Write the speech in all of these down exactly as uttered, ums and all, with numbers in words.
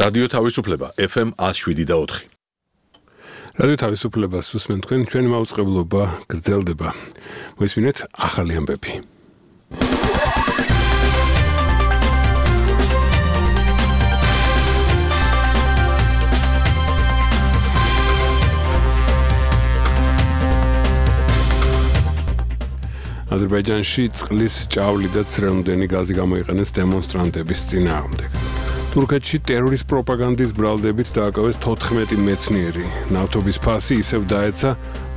რადიო თავისუფლება ეფ ემ one oh seven და four. რადიო თავისუფლებას უსმენთ თქვენ, ჩვენი მაუწყებლობა გრძელდება. მოისმინეთ ახალი ამბები. აზერბაიჯანში წყლის ჭავლი და ცრემლდენი გაზი გამოიყენეს დემონსტრანტების წინააღმდეგ. თურქეთში ტერორის პროპაგანდის ბრალდებით დააკავეს თოთხმეტი მეცნიერი. ნავთობის ფასი ისევ დაეცა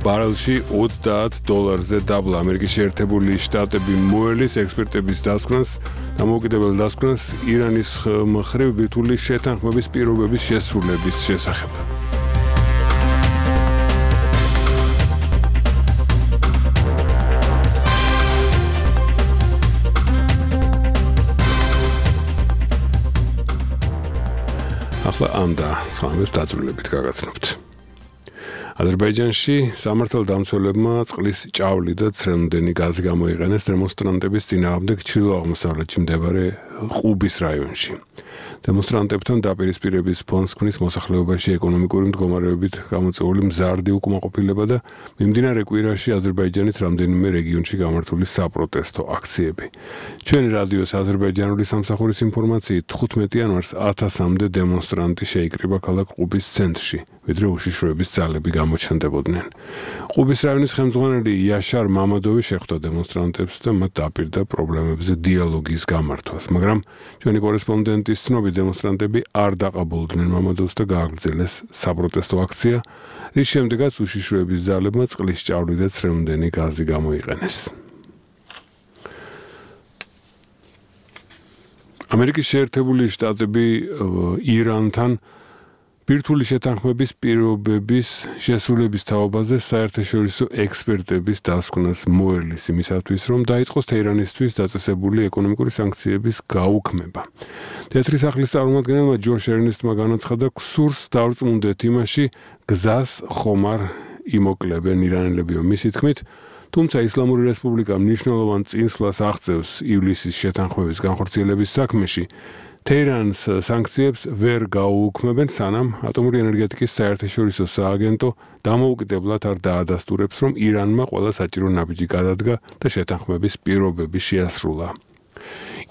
ბარელში ოცდაათ დოლარზე დაბლა. ამერიკის შეერთებული შტატები მოელის ექსპერტების დასკვნას, დამოუკიდებელ დასკვნას ირანის მხრივ ბირთვული შეთანხმების პირობების შესრულების შესახებ. ახლა ამ და სხვა ამბებს დაძრულებით გაგაცნობთ. აზერბაიჯანში სამართალდამცველებმა წყლის ჭავლი და ცრემლდენი გაზი გამოიყენეს დემონსტრანტების წინააღმდეგ ჩრდილო-აღმოსავლეთში მდებარე ყუბის რაიონში. დემონსტრანტებთან დაპირისპირების ფონს ქმნის მოსახლეობაში ეკონომიკური მდგომარეობით გამოწვეული მზარდი უკმაყოფილება და მიმდინარე კვირაში აზერბაიჯანის რამდენიმე რეგიონში გამართული საპროტესტო აქციები. ჩვენი რადიოს აზერბაიჯანული სამსახურის ინფორმაციით თხუთმეტი იანვარს ათასამდე დემონსტრანტი შეიკრიბა ქალაქ ყუბის ცენტრში, ვიდრე უშიშროების ძალები გამოჩნდებოდნენ. ყუბის რაიონის ხელმძღვანელი იაშარ მამადოვი შეხვდა დემონსტრანტებს და მათ დაპირდა პრობლემებზე დიალოგის გამართვას, მაგრამ ჩვენი კორესპონდენტის ცნობით დემონსტრანტები არ დაყაბულდნენ მამადოვს და გააგრძელეს საპროტესტო აქცია, რის შემდეგაც უშიშროების ძალებმა წყლის ჭავლი და ცრემლდენი გაზი გამოიყენეს. ამერიკის შეერთებული შტატები ირანთან ბირთვული შეთანხმების პირობების შესრულების თაობაზე საერთაშორისო ექსპერტების დასკვნას მოელის იმისათვის, რომ დაიწყოს თეირანისთვის დაწესებული ეკონომიკური სანქციების გაუქმება. თეთრი სახლის წარმომადგენელმა ჯოშ ერნესტმა განაცხადა, სურს დავრწმუნდეთ იმაში, გზას ხომ არ იმოკლებენ ირანელებიო. მისი თქმით, თუმცა ისლამური რესპუბლიკა მნიშვნელოვან წინსვლას აღწევს ივლისის შეთანხმების განხორციელების საქმეში, თეირანს სანქციებს ვერ გაუუქმებენ, სანამ ატომური ენერგეტიკის საერთაშორისო სააგენტო დამოუკიდებლად არ დაადასტურებს, რომ ირანმა ყველა საჭირო ნაბიჯი გადადგა და შეთანხმების პირობები შეასრულა.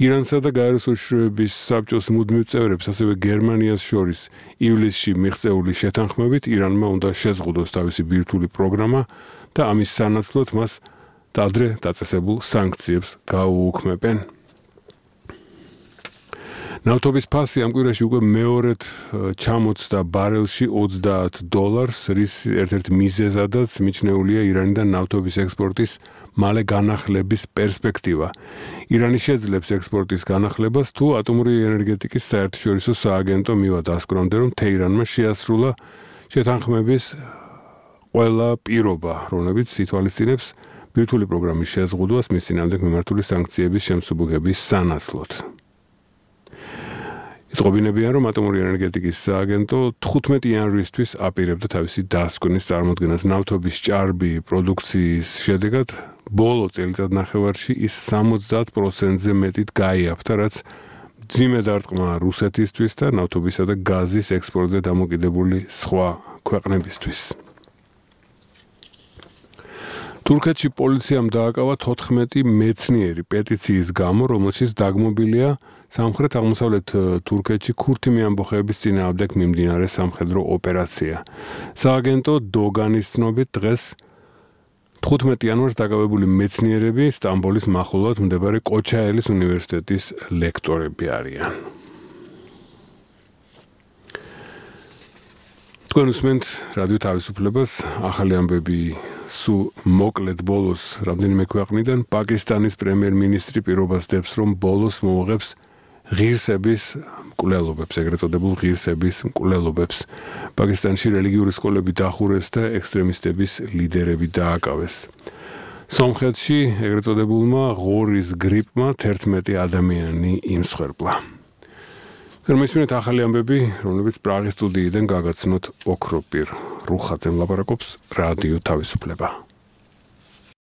ირანსა და გაეროს უშიშროების საბჭოს მუდმივ წევრებს, ასევე გერმანიას შორის ივლისში მიღწეული შეთანხმებით ირანმა უნდა შეზღუდოს თავისი ბირთვული პროგრამა და ამის სანაცვლოდ მას ადრე დაწესებულ სანქციებს გაუუქმებენ. ნავთობის ფასი ამ კვირაში უკვე მეორედ ჩამოწდა ბარელში ოცდაათ დოლარს, რის ერთ-ერთ მიზეზადაც მიჩნეულია ირანიდან ნავთობის ექსპორტის მალე განახლების პერსპექტივა. ირანი შეძლებს ექსპორტის განახლებას, თუ ატომური ენერგეტიკის საერთაშორისო სააგენტო მივა დასკვნამდე, რომ თეირანმა შეასრულა შეთანხმების ყველა პირობა, რომლებიც ითვალისწინებს ბირთვული პროგრამის შეზღუდვას მის წინააღმდეგ მიმართული სანქციების შემსუბუქების სანაცვლოდ. იტყობინებიან, რომ ატომური ენერგეტიკის სააგენტო თხუთმეტი იანვრისთვის აპირებდა თავისი დასკვნის წარმოდგენას. ნავთობის ჭარბი პროდუქციის შედეგად ბოლო წელიწადნახევარში ის სამოცდაათ პროცენტზე მეტით გაიაფთა, რაც მძიმე დარტყმა რუსეთისთვის და ნავთობისა და გაზის ექსპორტზე დამოკიდებული სხვა ქვეყნებისთვის. თურქეთში პოლიციამ დააკავა თოთხმეტი მეცნიერი პეტიციის გამო, რომელშიც დაგმობილია სამხრეთ-აღმოსავლეთ თურქეთში ქურთი ამბოხეების წინააღმდეგ მიმდინარე სამხედრო ოპერაცია. სააგენტო დოგანის ცნობით დღეს თხუთმეტი იანვარს დაკავებული მეცნიერები სტამბოლის მახლობლად მდებარე კოჩაელის უნივერსიტეტის ლექტორები არიან. თქვენ უსმენთ რადიო თავისუფლებას, ახალი ამბები სულ მოკლედ ბოლოს რამდენიმე ქვეყნიდან. პაკისტანის პრემიერ-მინისტრი პირობას დებს, რომ ბოლოს მოუღებს ღირსების მკვლელობებს, ეგრეთ წოდებულ ღირსების მკვლელობებს. პაკისტანში რელიგიური სკოლები დახურეს და ექსტრემისტების ლიდერები დააკავეს. სომხეთში ეგრეთ წოდებულმა ღორის გრიპმა თერთმეტი ადამიანი იმსხვერპლა. გერმანიასმენთ ახალი ამბები, რომლებიც პრაღის სტუდიიდან გაგაცნოთ ოქროპირ რუხაძემ ლაპარაკობს რადიო თავისუფლება.